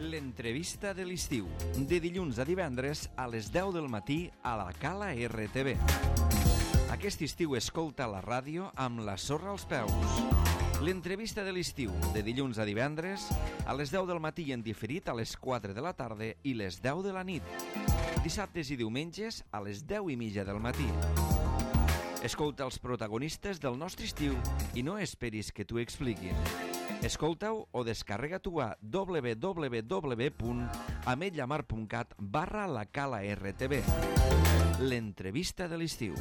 L'entrevista de l'estiu, de dilluns a divendres a les 10 del matí a la Cala RTV. Aquest estiu escolta la ràdio amb la sorra als peus. L'entrevista de l'estiu, de dilluns a divendres a les 10 del matí i en diferit a les 4 de la tarda i les 10 de la nit. Dissabtes i diumenges a les 10:30 del matí. Escolta els protagonistes del nostre estiu i no esperis que t'ho expliquin. Escolta-ho o descarrega-t'ho a www.ametlllamar.cat/la Cala RTV. L'entrevista de l'estiu.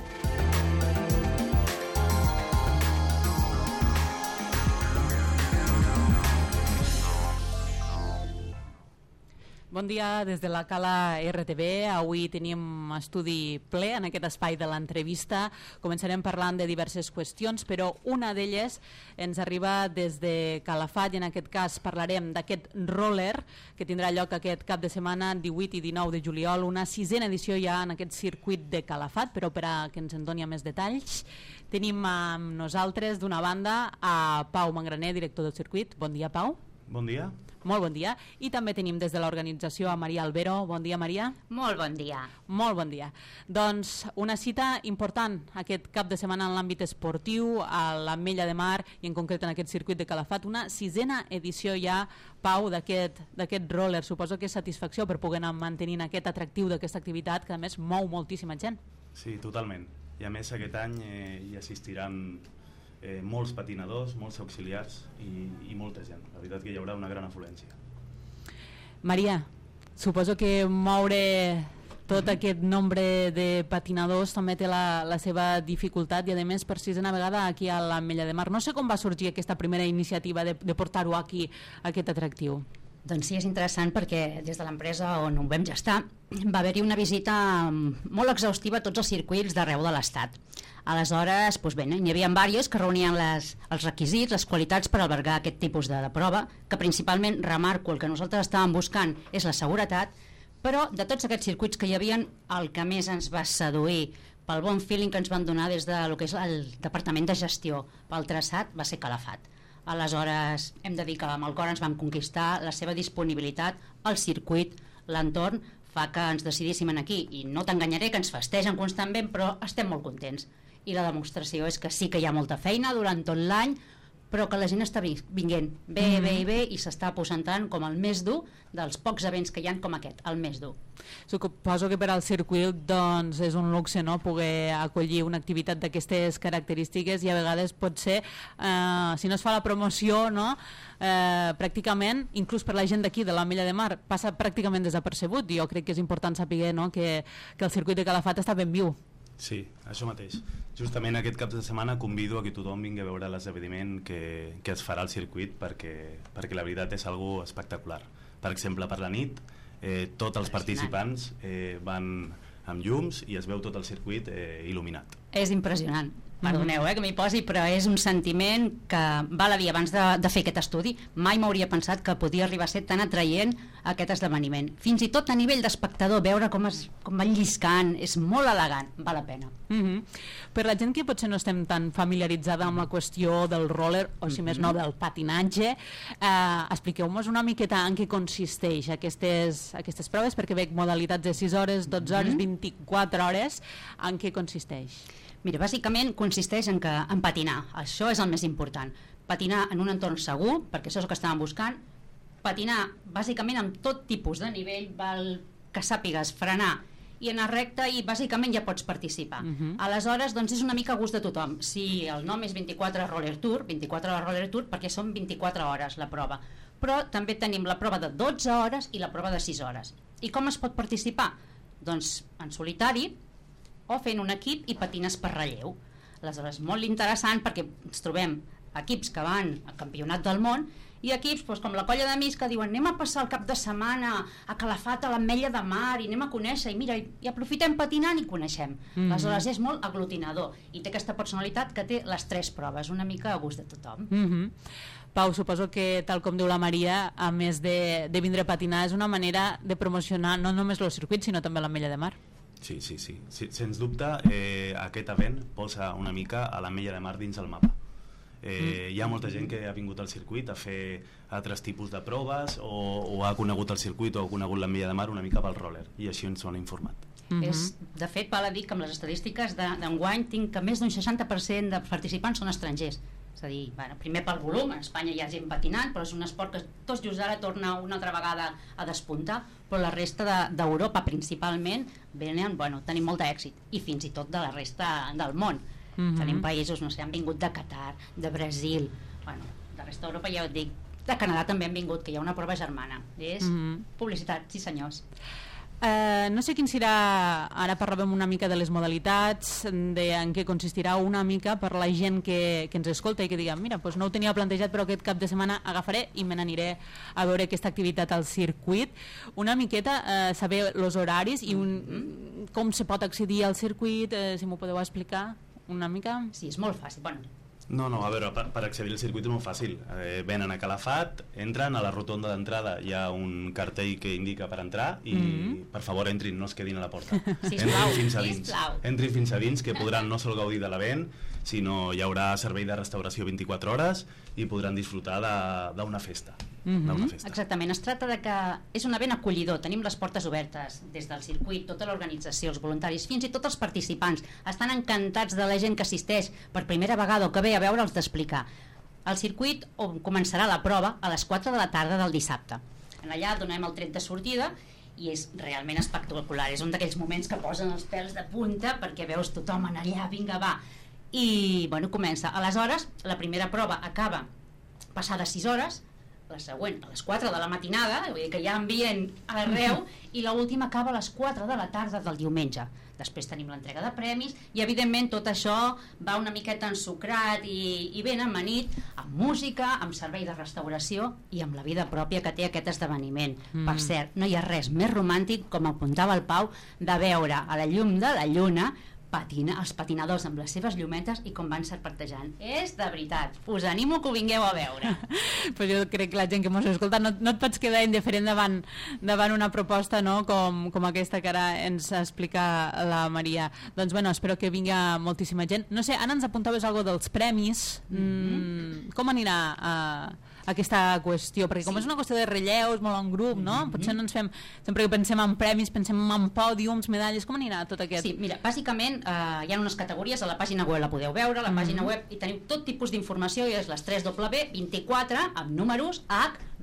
Bon dia des de la Cala RTV. Avui tenim estudi ple en aquest espai de l'entrevista. Començarem parlant de diverses qüestions, però una d'elles ens arriba des de Calafat i en aquest cas parlarem d'aquest roller que tindrà lloc aquest cap de setmana 18 i 19 de juliol, una 6a edició ja en aquest circuit de Calafat, però per a que ens en doni més detalls tenim amb nosaltres d'una banda a Pau Mangraner, director del circuit. Bon dia, Pau. Bon dia. Molt bon dia. I també tenim des de l'organització a Maria Albero. Bon dia, Maria. Molt bon dia. Molt bon dia. Doncs una cita important aquest cap de setmana en l'àmbit esportiu, a l'Ametlla de Mar i en concret en aquest circuit de Calafat. Una 6a edició ja, Pau, d'aquest roller. Suposo que és satisfacció per poder anar mantenint aquest atractiu d'aquesta activitat que a més mou moltíssima gent. Sí, totalment. I a més aquest any hi assistiran molts patinadors, molts auxiliars i molta gent. La veritat que hi haurà una gran afluència. Maria, suposo que moure tot aquest nombre de patinadors també té la seva dificultat i a més per 6a vegada aquí a l'Ametlla de Mar. No sé com va sorgir aquesta primera iniciativa de portar-ho aquí, aquest atractiu. Doncs sí, és interessant perquè des de l'empresa on ho vam gestar va haver-hi una visita molt exhaustiva a tots els circuits d'arreu de l'Estat. Aleshores, doncs bé, n'hi havia diversos que reunien els requisits, les qualitats per albergar aquest tipus de prova, que principalment, remarco, el que nosaltres estàvem buscant és la seguretat, però de tots aquests circuits que hi havia, el que més ens va seduir pel bon feeling que ens van donar des del que és el Departament de Gestió pel traçat va ser Calafat. Aleshores, hem de dir que amb el cor ens vam conquistar, la seva disponibilitat, el circuit, l'entorn, fa que ens decidíssim aquí. I no t'enganyaré que ens festegen constantment, però estem molt contents. I la demostració és que sí que hi ha molta feina durant tot l'any, però que la gent està vinguent bé i s'està aposentant com el més dur dels pocs events que hi ha com aquest, el més dur. Suposo que per al circuit doncs, és un luxe, no?, poder acollir una activitat d'aquestes característiques i a vegades pot ser, si no es fa la promoció, no?, pràcticament, inclús per la gent d'aquí de l'Ametlla de Mar, passa pràcticament desapercebut. Jo crec que és important saber, no?, que el circuit de Calafat està ben viu. Sí, això mateix. Justament aquest cap de setmana convido a que tothom vingui a veure l'esdeveniment que es farà al circuit perquè la veritat és algo espectacular. Per exemple, per la nit tots els participants van amb llums i es veu tot el circuit il·luminat. És impressionant. Perdoneu que m'hi posi, però és un sentiment que val a dir, abans de fer aquest estudi mai m'hauria pensat que podia arribar a ser tan atraient aquest esdeveniment. Fins i tot a nivell d'espectador, veure com van lliscant, és molt elegant, val la pena. Per la gent que potser no estem tan familiaritzada amb la qüestió del roller, o si més no del patinatge, expliqueu-nos una miqueta en què consisteix aquestes proves, perquè veig modalitats de 6 hores, 12 hores, 24 hores, en què consisteix? Mira, bàsicament consisteix en patinar, això és el més important. Patinar en un entorn segur, perquè això és el que estàvem buscant, patinar bàsicament amb tot tipus de nivell, val que sàpigues frenar i anar recte i bàsicament ja pots participar. Aleshores, doncs és una mica a gust de tothom. Si el nom és 24 Roller Tour, 24 hores Roller Tour perquè són 24 hores la prova. Però també tenim la prova de 12 hores i la prova de 6 hores. I com es pot participar? Doncs en solitari, o fent un equip i patines per relleu. Aleshores, molt interessant perquè ens trobem equips que van al campionat del món i equips com la colla d'amics que diuen anem a passar el cap de setmana a Calafat, a l'Ametlla de Mar, i anem a conèixer, i mira, i aprofitem patinant i coneixem. Aleshores és molt aglutinador i té aquesta personalitat que té les 3 proves, una mica a gust de tothom. Pau, suposo que, tal com diu la Maria, a més de vindre a patinar, és una manera de promocionar no només el circuit, sinó també l'Ametlla de Mar. Sí. Sens dubte, aquest event posa una mica a l'Ametlla de Mar dins el mapa. Hi ha molta gent que ha vingut al circuit a fer altres tipus de proves o ha conegut el circuit o ha conegut l'Envia de Mar una mica pel roller, i així ens ho han informat. De fet, val a dir que amb les estadístiques d'enguany tinc que més d'un 60% de participants són estrangers. És a dir, primer pel volum, en Espanya hi ha gent patinant, però és un esport que tot just ara torna una altra vegada a despuntar, però la resta d'Europa principalment tenim molt d'èxit, i fins i tot de la resta del món. Tenim països, no sé, han vingut de Qatar, de Brasil, de resta d'Europa ja ho dic, de Canadà també han vingut, que hi ha una prova germana. És publicitat, sí senyors. No sé quin serà, ara parlàvem una mica de les modalitats, en què consistirà una mica per la gent que ens escolta i que diga, mira, doncs no ho tenia plantejat però aquest cap de setmana agafaré i me n'aniré a veure aquesta activitat al circuit. Una miqueta saber els horaris i com se pot accedir al circuit, si m'ho podeu explicar una mica. Sí, és molt fàcil. No, a veure, per accedir al circuit és molt fàcil. Venen a Calafat, entren a la rotonda d'entrada, hi ha un cartell que indica per entrar i per favor entrin, no es quedin a la porta. Entrin fins a dins, que podran no sol gaudir de l'event, sinó hi haurà servei de restauració 24 hores i podran disfrutar d'una festa. Exactament, es tracta de que és un event acollidor, tenim les portes obertes des del circuit, tota l'organització, els voluntaris, fins i tot els participants estan encantats de la gent que assisteix per primera vegada o que ve a veure'ls d'explicar. El circuit començarà la prova a les 4 de la tarda del dissabte. Allà donem el tret de sortida i és realment espectacular, és un d'aquells moments que posen els pèls de punta perquè veus tothom en allà, vinga va, i comença. Aleshores, la primera prova acaba passades 6 hores, la següent a les 4 de la matinada, vull dir que hi ha ambient arreu, i l'última acaba a les 4 de la tarda del diumenge. Després tenim l'entrega de premis i evidentment tot això va una miqueta ensucrat i ben amanit amb música, amb servei de restauració i amb la vida pròpia que té aquest esdeveniment. Per cert, no hi ha res més romàntic, com apuntava el Pau, de veure a la llum de la lluna els patinadors amb les seves llumetes i com van serpentejant. És de veritat, us animo que ho vingueu a veure. Però jo crec que la gent que mos escolta no et pots quedar indiferent davant una proposta, no? com aquesta que ara ens explica la Maria. Doncs espero que vingui moltíssima gent. No sé, ara ens apuntaves alguna cosa dels premis. Com anirà aquesta qüestió? Perquè com és una qüestió de relleus, molt en grup, no? Potser no ens fem, sempre que pensem en premis, pensem en pòdiums, medalles, com anirà tot aquest? Sí, mira, bàsicament hi ha unes categories, a la pàgina web la podeu veure, a la pàgina web hi teniu tot tipus d'informació i és les 3W24 amb números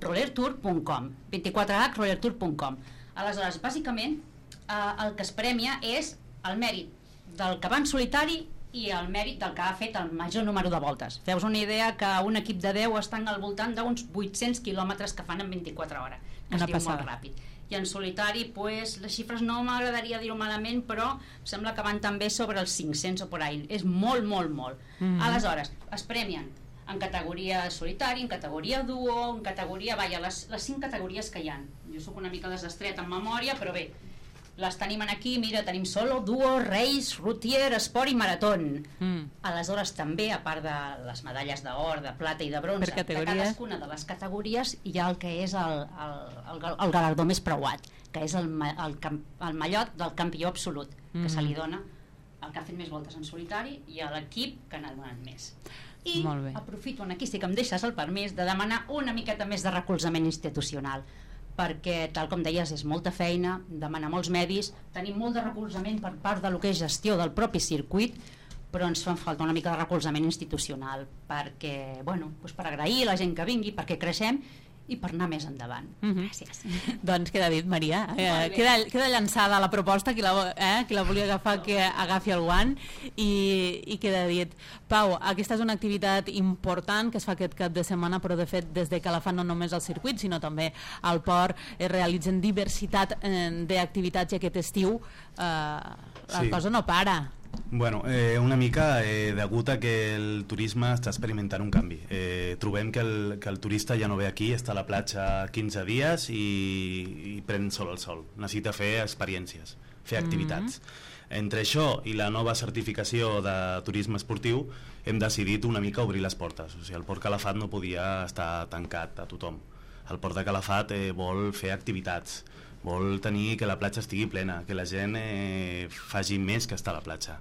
rollertour.com 24rollertour.com. Aleshores, bàsicament el que es premia és el mèrit del que va en solitari i el mèrit del que ha fet el major número de voltes. Feu-vos una idea que un equip de 10 estan al voltant d'uns 800 quilòmetres que fan en 24 hores, que es diu molt ràpid. I en solitari, les xifres no m'agradaria dir-ho malament, però sembla que van també sobre els 500 o por ahí. És molt, molt, molt. Aleshores, es premien en categoria solitari, en categoria duo, en categoria... les 5 categories que hi ha. Jo sóc una mica desastreta en memòria, però bé, les tenim aquí, mira, tenim solo, duo, race, routier, esport i maratón. Aleshores també, a part de les medalles d'or, de plata i de bronze, de cadascuna de les categories hi ha el que és el galardó més preuat, que és el mallot del campió absolut, que se li dona al que ha fet més voltes en solitari i a l'equip que n'ha donat més. I aprofito, aquí sí que em deixes el permís de demanar una miqueta més de recolzament institucional, perquè, tal com deies, és molta feina, demana molts medis, tenim molt de recolzament per part de lo que és gestió del propi circuit, però ens fa falta una mica de recolzament institucional perquè, per agrair a la gent que vingui, perquè creixem i per anar més endavant. Gràcies. Doncs queda dit, Maria. Queda llançada la proposta, qui la volia agafar que agafi el guant i queda dit. Pau, aquesta és una activitat important que es fa aquest cap de setmana, però de fet des de Calafat no només al circuit, sinó també al port es realitzen diversitat d'activitats i aquest estiu la cosa no para. Una mica degut a que el turisme està experimentant un canvi. Trobem que el turista ja no ve aquí, està a la platja 15 dies i pren sol al sol. Necessita fer experiències, fer activitats. Entre això i la nova certificació de turisme esportiu hem decidit una mica obrir les portes. O sigui, el Port Calafat no podia estar tancat a tothom. El Port de Calafat vol fer activitats, vol tenir que la platja estigui plena, que la gent faci més que estar a la platja.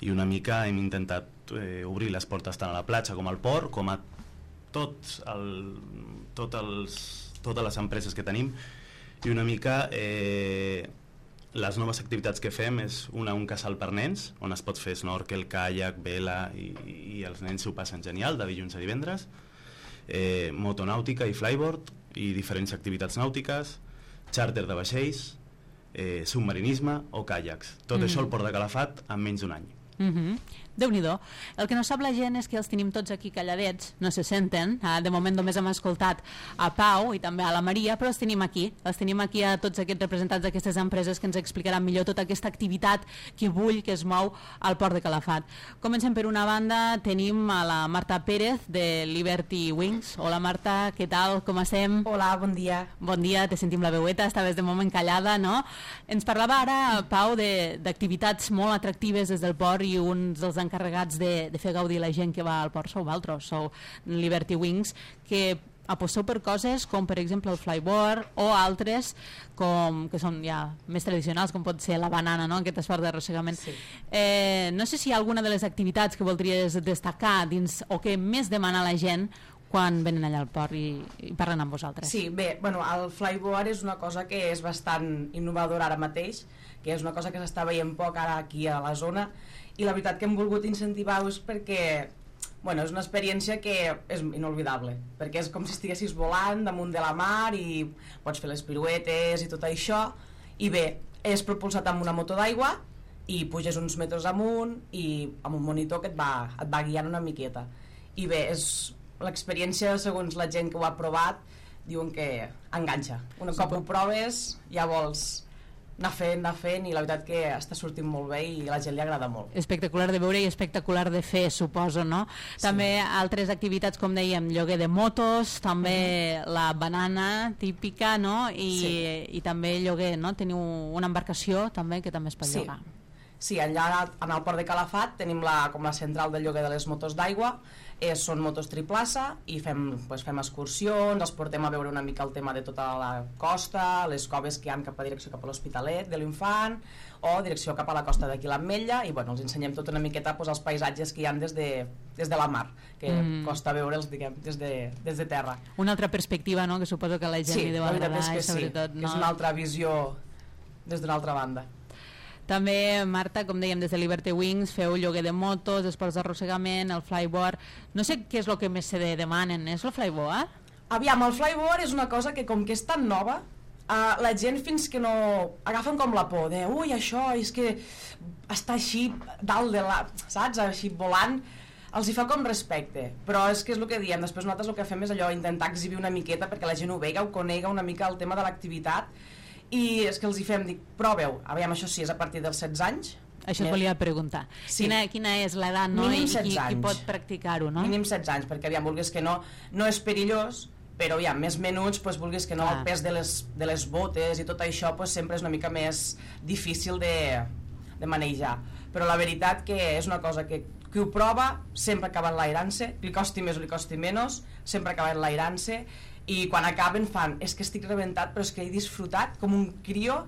i una mica hem intentat obrir les portes tant a la platja com al port, com a totes les empreses que tenim, i una mica les noves activitats que fem és un casal per nens, on es pot fer snorkel, kayak, vela, i els nens s'ho passen genial, de dilluns a divendres, motonàutica i flyboard, i diferents activitats nàutiques, xàrter de vaixells, submarinisme o caiacs. Tot això al Port de Calafat en menys d'un any. Déu-n'hi-do. El que no sap la gent és que els tenim tots aquí calladets, no se senten, de moment només hem escoltat a Pau i també a la Maria, però els tenim aquí a tots aquests representants d'aquestes empreses que ens explicaran millor tota aquesta activitat que bull, que es mou al Port de Calafat. Comencem per una banda, tenim a la Marta Pérez de Liberty Wings. Hola Marta, què tal, com estem? Hola, bon dia. Bon dia, te sentim la veueta, estaves de moment callada, no? Ens parlava ara, Pau, d'activitats molt atractives des del port, i uns dels encarregats de fer gaudir la gent que va al port sou vosaltres, sou Liberty Wings, que aposteu per coses com per exemple el flyboard o altres que són ja més tradicionals, com pot ser la banana, no? Aquest esport d'arrossegament. Sí. No sé si hi ha alguna de les activitats que voldries destacar dins o que més demana la gent quan venen allà al port i parlen amb vosaltres. Sí, bé, el flyboard és una cosa que és bastant innovadora ara mateix, que és una cosa que s'està veient poc ara aquí a la zona, i la veritat que hem volgut incentivar-ho és perquè és una experiència que és inolvidable, perquè és com si estiguessis volant damunt de la mar i pots fer les piruetes i tot això, i bé, és propulsat amb una moto d'aigua i puges uns metres amunt i amb un monitor que et va guiant una miqueta, i bé, és l'experiència, segons la gent que ho ha provat, diuen que enganxa. Un cop ho proves ja vols anar fent, i la veritat que està sortint molt bé i a la gent li agrada molt. Espectacular de veure i espectacular de fer, suposo, no? Sí. També altres activitats, com dèiem, lloguer de motos, també la banana típica, no? I també lloguer, no? Teniu una embarcació també que també es pot llogar. Sí, allà en el Port de Calafat tenim com la central de lloguer de les motos d'aigua, són motos triplaça i fem excursions, els portem a veure una mica el tema de tota la costa, les coves que hi ha cap a direcció cap a l'Hospitalet de l'Infant o direcció cap a la costa d'aquí l'Ametlla, i els ensenyem tot una miqueta els paisatges que hi ha des de la mar, que costa veure'ls, diguem, des de terra. Una altra perspectiva, no?, que suposo que la gent li deu agradar. Sí, sobretot, no? És una altra visió des d'una altra banda. També, Marta, com dèiem, des de Liberty Wings feu lloguer de motos, esports d'arrossegament, el flyboard. No sé què és el que més se demanen, és el flyboard? Aviam, el flyboard és una cosa que, com que és tan nova, la gent fins que no agafen com la por de ui, això és que està així dalt de la, saps, així volant, els hi fa com respecte, però és que és el que diem, després nosaltres el que fem és allò, intentar exhibir una miqueta perquè la gent ho vega, ho conega una mica el tema de l'activitat, i és que els hi fem, dic, proveu, aviam, això sí, és a partir dels 16 anys. Això et volia preguntar. Sí. Quina és l'edat, no? Mínim 16 anys. Qui pot practicar-ho, no? Mínim 16 anys, perquè aviam, vulguis que no és perillós, però aviam, més menuts, vulguis que no, el pes de les botes i tot això sempre és una mica més difícil de manejar. Però la veritat que és una cosa que qui ho prova sempre acaba enlairant-se, li costi més o li costi menys, sempre acaba enlairant-se, i quan acaben fan, és que estic rebentat però és que he disfrutat com un crió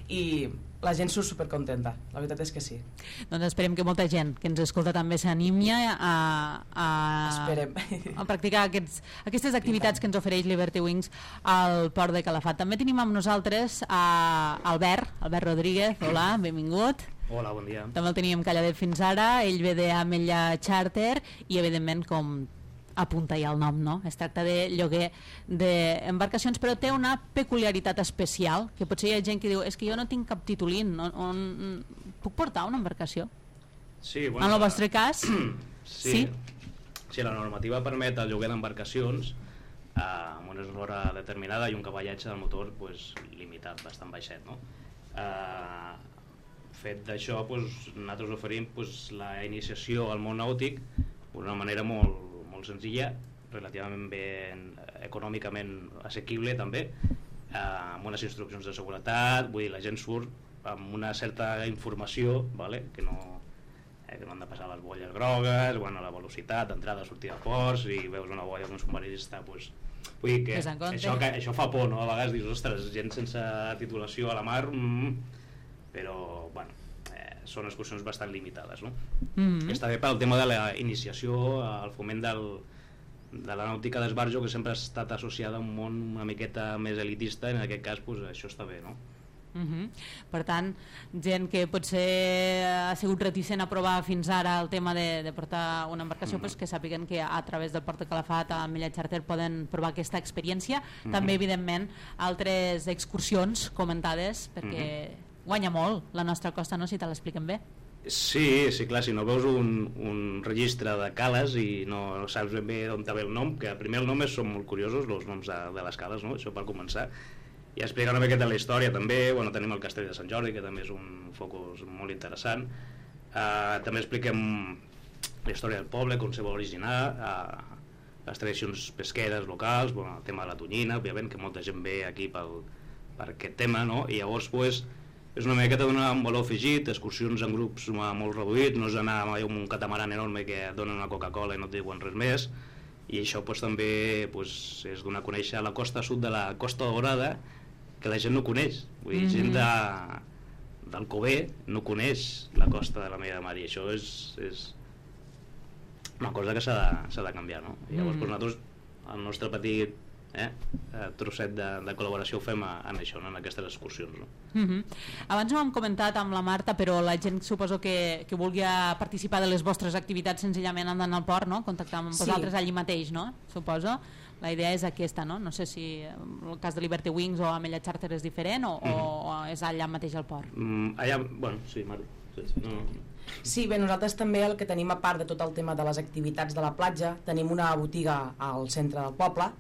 i la gent surt supercontenta, la veritat és que sí. Doncs esperem que molta gent que ens escolta també s'animi a practicar aquestes activitats que ens ofereix Liberty Wings al Port de Calafat. També tenim amb nosaltres Albert Rodríguez. Hola, benvingut. Hola, bon dia. També el teníem calladet fins ara, ell ve d'Ametlla Charter i evidentment, com apunta ja el nom, no? Es tracta de lloguer d'embarcacions, però té una peculiaritat especial, que potser hi ha gent que diu, és que jo no tinc cap titulín, puc portar una embarcació? Sí, bueno, en el vostre cas? Sí, la normativa permet el lloguer d'embarcacions amb una hora determinada i un cavallatge del motor limitat, bastant baixet, no? Fet d'això, nosaltres oferim la iniciació al món nàutic d'una manera molt senzilla, relativament ben econòmicament assequible també, amb unes instruccions de seguretat, vull dir, la gent surt amb una certa informació, que no han de passar les bolles grogues, la velocitat d'entrada, sortida de ports, i veus una boia d'un submarinista, vull dir que això fa por, no? A vegades dius, ostres, gent sense titulació a la mar, però, són excursions bastant limitades, no? Està bé pel tema de la iniciació al foment de la nàutica d'esbarjo, que sempre ha estat associada a un món una miqueta més elitista, en aquest cas pues, això està bé, no? Per tant, gent que potser ha sigut reticent a provar fins ara el tema de portar una embarcació, pues que sàpiguen que a través del Port de Calafat a Mella Charter poden provar aquesta experiència. També, evidentment, altres excursions comentades, perquè guanya molt la nostra costa, no?, si te l'expliquen bé. Sí, clar, si no veus un registre de cales i no saps ben bé d'on ve el nom, que primer el nom són molt curiosos, els noms de les cales, no?, això per començar. I explicar una miqueta la història també. Bueno, tenim el castell de Sant Jordi, que també és un focus molt interessant. També expliquem la història del poble, com se va originar, les tradicions pesqueres locals, bueno, el tema de la tonyina, òbviament, que molta gent ve aquí per aquest tema, no? I llavors pues, és una miqueta donar un valor afegit, excursions en grups molt reduïts, no és anar amb un catamaran enorme que et donen una Coca-Cola i no et diuen res més. I això pues, també pues, és donar a conèixer la costa sud de la Costa Daurada, que la gent no coneix. Vull dir, gent d'Alcover no coneix la costa de la Mella de Mar, i això és una cosa que s'ha de canviar, no? I llavors pues, nosaltres, el nostre petit trosset de col·laboració ho fem en això, no? En aquestes excursions, no? Abans no ho hem comentat amb la Marta, però la gent suposo que vulgui participar de les vostres activitats senzillament andant al port, no? Contactar amb vosaltres allí mateix, no? Suposo. La idea és aquesta, no? No sé si el cas de Liberty Wings o a Mella Charter és diferent o és allà mateix al port. Allà, bueno, sí, Marta. Sí, bé, nosaltres també el que tenim, a part de tot el tema de les activitats de la platja, tenim una botiga al centre del poble,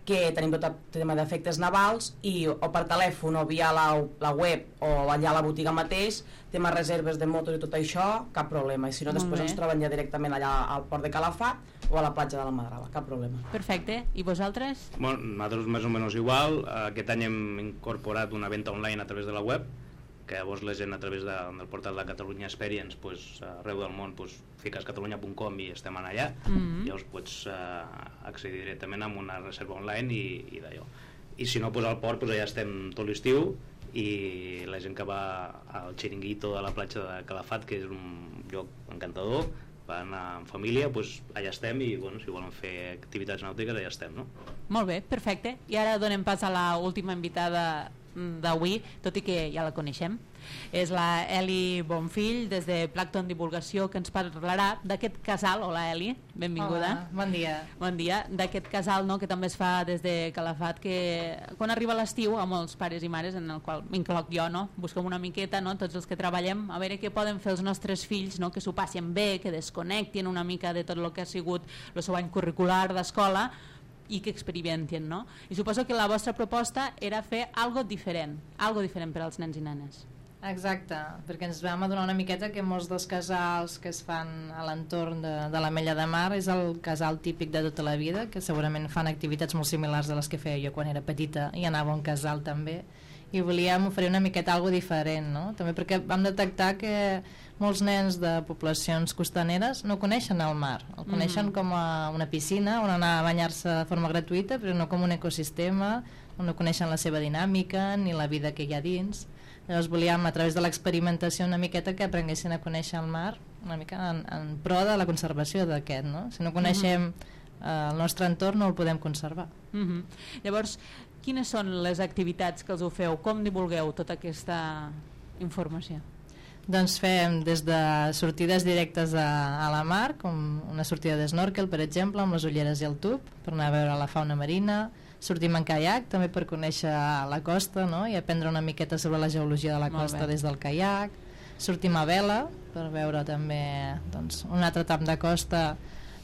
que tenim tot el tema d'efectes navals, i o per telèfon o via la web o allà a la botiga mateix, tema reserves de motos i tot això, cap problema. I si no, després ens troben ja directament allà al port de Calafat o a la platja de la Madrava, cap problema. Perfecte. I vosaltres? Bueno, nosaltres més o menys igual. Aquest any hem incorporat una venda online a través de la web, que llavors la gent a través del portal de Catalunya Experience, pues, arreu del món, pues, fiques catalunya.com i estem allà. Llavors pots accedir directament amb una reserva online i d'allò. I si no, pues, al port pues, allà estem tot l'estiu, i la gent que va al Chiringuito de la platja de Calafat, que és un lloc encantador, va anar en família, pues, allà estem, i bueno, si volen fer activitats nàutiques allà estem, no? Molt bé, perfecte. I ara donem pas a l'última invitada d'avui, tot i que ja la coneixem. És la Eli Bonfill, des de Plankton Divulgació, que ens parlarà d'aquest casal. Hola, Eli, benvinguda. Hola, bon dia. Bon dia. D'aquest casal, no?, que també es fa des de Calafat, que quan arriba l'estiu, a molts pares i mares, en el qual m'incloc jo, no?, busquem una miqueta, no?, tots els que treballem, a veure què poden fer els nostres fills, no?, que s'ho passin bé, que desconnectin una mica de tot el que ha sigut el seu any curricular d'escola, i que experimentin, no? I suposo que la vostra proposta era fer algo diferent per als nens i nenes. Exacte, perquè ens vam adonar una miqueta que molts dels casals que es fan a l'entorn de la Mella de Mar és el casal típic de tota la vida, que segurament fan activitats molt similars a les que feia jo quan era petita i anava a un casal també, i volíem oferir una miqueta algo diferent, no? També perquè vam detectar que molts nens de poblacions costaneres no coneixen el mar, el coneixen com a una piscina on anar a banyar-se de forma gratuïta, però no com un ecosistema, on no coneixen la seva dinàmica ni la vida que hi ha dins. Llavors volíem, a través de l'experimentació una miqueta, que aprenguessin a conèixer el mar una mica en pro de la conservació d'aquest, no? Si no coneixem el nostre entorn no el podem conservar. Llavors, quines són les activitats que els ho feu? Com divulgueu tota aquesta informació? Doncs fem des de sortides directes a la mar, com una sortida d'snorkel, per exemple, amb les ulleres i el tub, per anar a veure la fauna marina. Sortim en caiac, també per conèixer la costa, no?, i aprendre una miqueta sobre la geologia de la costa des del caiac. Sortim a vela, per veure també doncs, un altre tram de costa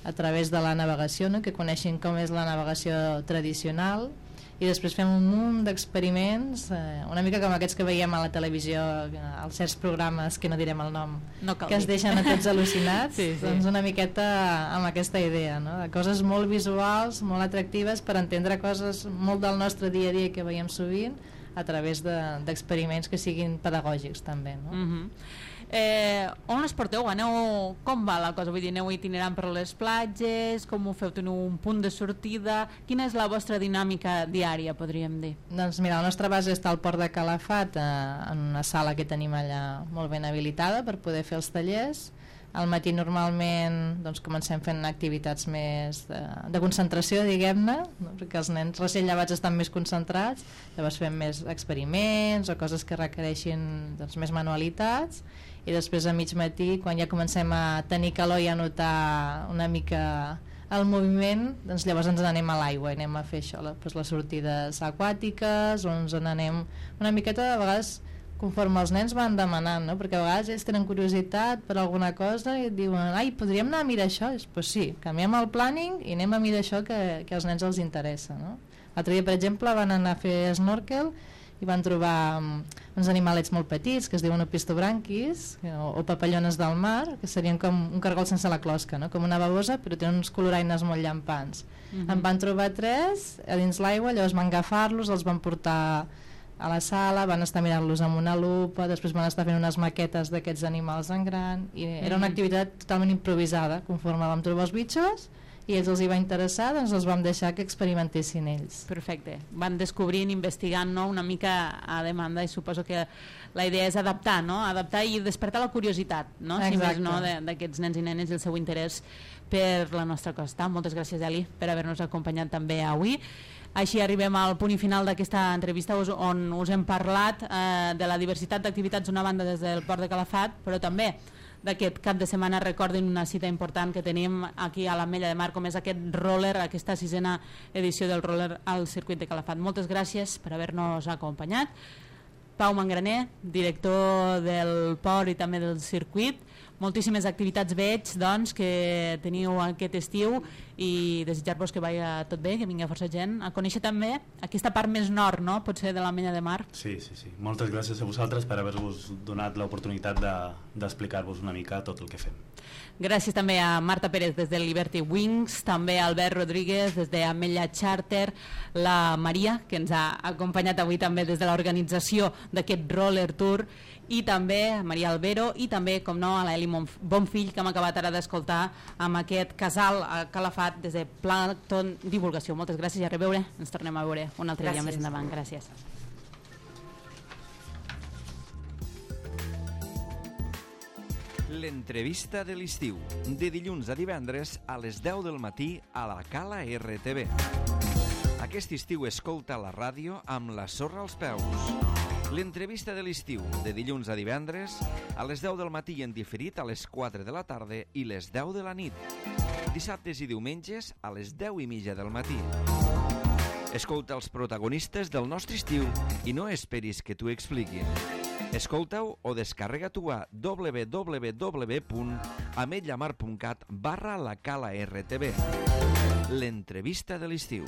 a través de la navegació, no?, que coneixin com és la navegació tradicional. I després fem un munt d'experiments, una mica com aquests que veiem a la televisió, als certs programes que no direm el nom, que es deixen a tots al·lucinats. Doncs una miqueta amb aquesta idea, no?, de coses molt visuals, molt atractives, per entendre coses molt del nostre dia a dia que veiem sovint, a través d'experiments que siguin pedagògics també, no? On les porteu? Com va la cosa? Vull dir, aneu itinerant per les platges? Com ho feu? Teniu un punt de sortida? Quina és la vostra dinàmica diària, podríem dir? Doncs mira, la nostra base està al Port de Calafat, en una sala que tenim allà molt ben habilitada per poder fer els tallers. Al matí normalment doncs, comencem fent activitats més de concentració, diguem-ne, no? Perquè els nens recent llevats estan més concentrats, llavors fem més experiments o coses que requereixin doncs, més manualitats, i després a mig matí, quan ja comencem a tenir calor i a notar una mica el moviment, doncs llavors ens n'anem a l'aigua i anem a fer això, doncs les sortides aquàtiques, o ens n'anem una miqueta, de vegades conforme els nens van demanant, no? Perquè a vegades ells tenen curiositat per alguna cosa i et diuen, ai, podríem anar a mirar això? Doncs sí, canviem el planning i anem a mirar això que als nens els interessa, no? L'altre dia, per exemple, van anar a fer snorkel i van trobar uns animalets molt petits que es diuen opistobranquis o papallones del mar, que serien com un cargol sense la closca, no? Com una babosa, però tenen uns coloraines molt llampants. En van trobar 3 a dins l'aigua, llavors van agafar-los, els van portar a la sala, van estar mirant-los amb una lupa, després van estar fent unes maquetes d'aquests animals en gran, i era una activitat totalment improvisada. Conforme vam trobar els bitxos i ells els hi va interessar, doncs els vam deixar que experimentessin ells. Perfecte, van descobrint, investigant, no? Una mica a demanda, i suposo que la idea és adaptar, no? Adaptar i despertar la curiositat, no? Si més no, d'aquests nens i nenes i el seu interès per la nostra costa. Moltes gràcies, Eli, per haver-nos acompanyat també avui. Així arribem al punt i final d'aquesta entrevista on us hem parlat de la diversitat d'activitats d'una banda des del Port de Calafat, però també d'aquest cap de setmana. Recordin una cita important que tenim aquí a l'Ametlla de Mar, com és aquest roller, aquesta 6ª edició del roller al circuit de Calafat. Moltes gràcies per haver-nos acompanyat. Pau Mangraner, director del port i també del circuit. Moltíssimes activitats veig, doncs, que teniu aquest estiu, i desitjar-vos que vagi tot bé, que vingui força gent a conèixer també aquesta part més nord, no? Potser de l'Ametlla de Mar. Sí. Moltes gràcies a vosaltres per haver-vos donat l'oportunitat d'explicar-vos una mica tot el que fem. Gràcies també a Marta Pérez des de Liberty Wings, també a Albert Rodríguez des d'Ametlla Charter, la Maria, que ens ha acompanyat avui també des de l'organització d'aquest roller tour, i també a Maria Albero, i també, com no, a l'Eli Bonfill, que hem acabat ara d'escoltar amb aquest casal a Calafat des de Plankton Divulgació. Moltes gràcies i a reveure. Ens tornem a veure un altre dia més endavant. Gràcies. L'entrevista de l'estiu, de dilluns a divendres a les 10 del matí a la Cala RTV. Aquest estiu escolta la ràdio amb la sorra als peus. L'entrevista de l'estiu, de dilluns a divendres, a les 10 del matí en diferit a les 4 de la tarda i les 10 de la nit. Dissabtes i diumenges a les 10:30 del matí. Escolta els protagonistes del nostre estiu i no esperis que t'ho expliquin. Escolta-ho o descarrega-t'ho a www.ametllamar.cat/la Cala RTV. L'entrevista de l'estiu.